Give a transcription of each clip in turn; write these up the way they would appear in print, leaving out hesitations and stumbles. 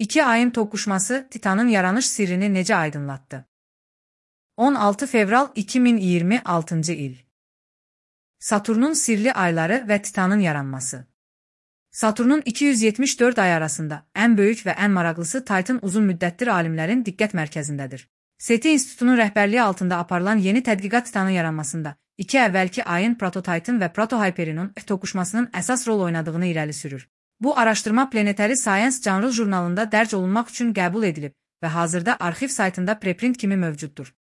İki ayın toqquşması Titanın yaranış sirrini necə aydınlatdı? 16 fevral 2026 il. Saturnun sirli ayları və Titanın yaranması. Saturnun 274 ay arasında ən böyük və ən maraqlısı Titan uzun müddətdir alimlərin diqqət mərkəzindədir. SETI İnstitutunun rəhbərliyi altında aparılan yeni tədqiqat Titanın yaranmasında iki əvvəlki ayın Proto-Titan və Proto-Hyperion toqquşmasının əsas rol oynadığını irəli sürür. Bu araşdırma Planetary Science canlı jurnalında dərc olunmaq üçün qəbul edilib və hazırda arxiv saytında preprint kimi mövcuddur.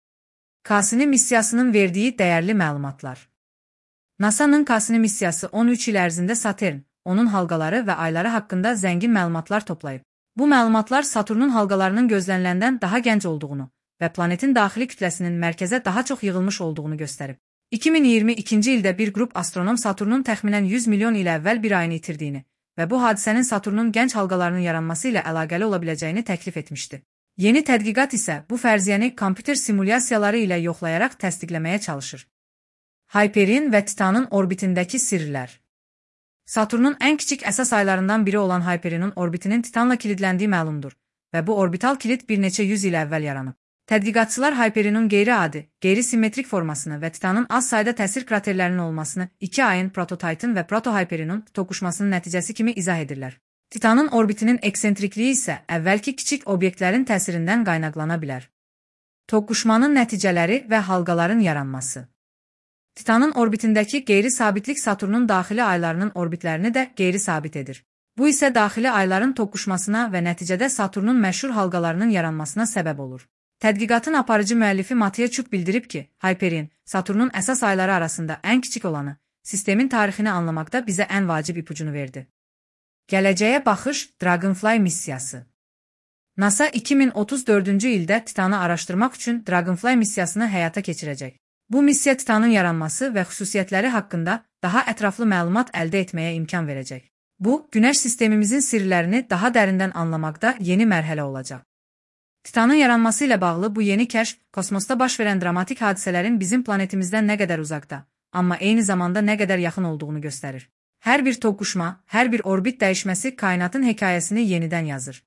Cassini missiyasının verdiyi dəyərli məlumatlar. NASA-nın Cassini missiyası 13 il ərzində Satürn, onun halqaları və ayları haqqında zəngin məlumatlar toplayıb. Bu məlumatlar Saturnun halqalarının gözləniləndən daha gənc olduğunu və planetin daxili kütləsinin mərkəzə daha çox yığılmış olduğunu göstərib. 2022-ci ildə bir qrup astronom Saturnun təxminən 100 milyon il əvvəl bir ayını itirdiyini və bu hadisənin Saturnun gənc halqalarının yaranması ilə əlaqəli ola biləcəyini təklif etmişdi. Yeni tədqiqat isə bu fərziyyəni kompüter simulyasiyaları ilə yoxlayaraq təsdiqləməyə çalışır. Hyperion və Titanın orbitindəki sirlər. Saturnun ən kiçik əsas aylarından biri olan Hyperionun orbitinin Titanla kilidləndiyi məlumdur və bu orbital kilit bir neçə yüz il əvvəl yaranıb. Tədqiqatçılar Hyperionun qeyri-adi, qeyri-simmetrik formasını və Titanın az sayda təsir kraterlərinin olmasını iki ayın Proto-Titan və Proto-Hyperionun toqquşmasının nəticəsi kimi izah edirlər. Titanın orbitinin eksentrikliyi isə əvvəlki kiçik obyektlərin təsirindən qaynaqlana bilər. Toqquşmanın nəticələri və halqaların yaranması. Titanın orbitindəki qeyri-sabitlik Saturnun daxili aylarının orbitlərini də qeyri-sabit edir. Bu isə daxili ayların toqquşmasına və nəticədə Saturnun məşhur halqalarının yaranmasına səbəb olur. Tədqiqatın aparıcı müəllifi Mathieu Çuk bildirib ki, Hyperion, Saturnun əsas ayları arasında ən kiçik olanı, sistemin tarixini anlamaqda bizə ən vacib ipucunu verdi. Gələcəyə baxış Dragonfly missiyası. NASA 2034-cü ildə Titanı araşdırmaq üçün Dragonfly missiyasını həyata keçirəcək. Bu missiya Titanın yaranması və xüsusiyyətləri haqqında daha ətraflı məlumat əldə etməyə imkan verəcək. Bu, Günəş sistemimizin sirlərini daha dərindən anlamaqda yeni mərhələ olacaq. Titanın yaranması ilə bağlı bu yeni kəşf, kosmosda baş verən dramatik hadisələrin bizim planetimizdən nə qədər uzaqda, amma eyni zamanda nə qədər yaxın olduğunu göstərir. Hər bir toqquşma, hər bir orbit dəyişməsi kainatın hekayəsini yenidən yazır.